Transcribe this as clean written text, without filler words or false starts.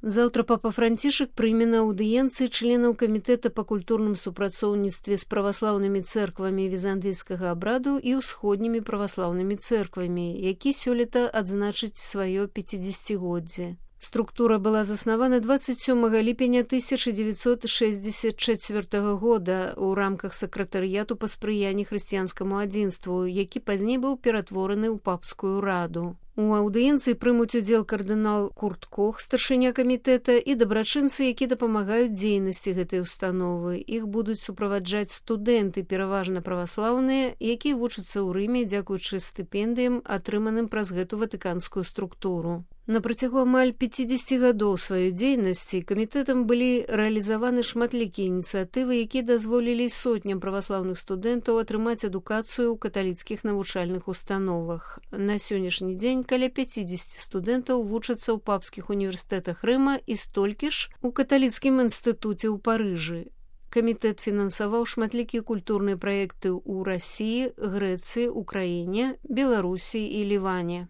Заўтра папа Францішак прыме на аўдыенцыі членаў камітэта па культурным супрацоўніцтве з праваслаўнымі цэрквамі візантыйскага абраду і ўсходнімі праваслаўнымі цэрквамі, які сёлета адзначыць сваё 50-годдзе. Структура была заснавана 27 ліпеня 1964 года ў рамках сакратарыяту па спрыянні хрысціянскаму адзінству, які пазней быў ператвораны ў папскую раду. У аўдыенцыі прымуць удзел кардынал Курт Кох, старшыня камітэта, і дабрачынцы, які дапамагаюць дзейнасці гэтай установы. Іх будуць суправаджаць студэнты, пераважна праваслаўныя, якія вучацца ў Рыме дзякуючы стыпендыям, атрыманым праз гэту ватыканскую структуру. На працягу амаль 50 гадоў сваёй дзейнасці камітэтам былі рэалізаваны шматлікія ініцыятывы, якія дазволілі сотням праваслаўных студэнтаў атрымаць адукацыю ў каталіцкіх навучальных установах. На сённяшні дзень каля 50 студэнтаў вучацца ў папскіх універсітэтах Рыма і столькі ж у каталіцкім інстытуце ў Парыжы. Камітэт фінансаваў шматлікія культурныя праекты ў Расіі, Грэцыі, Украіне, Беларусі і Ліване.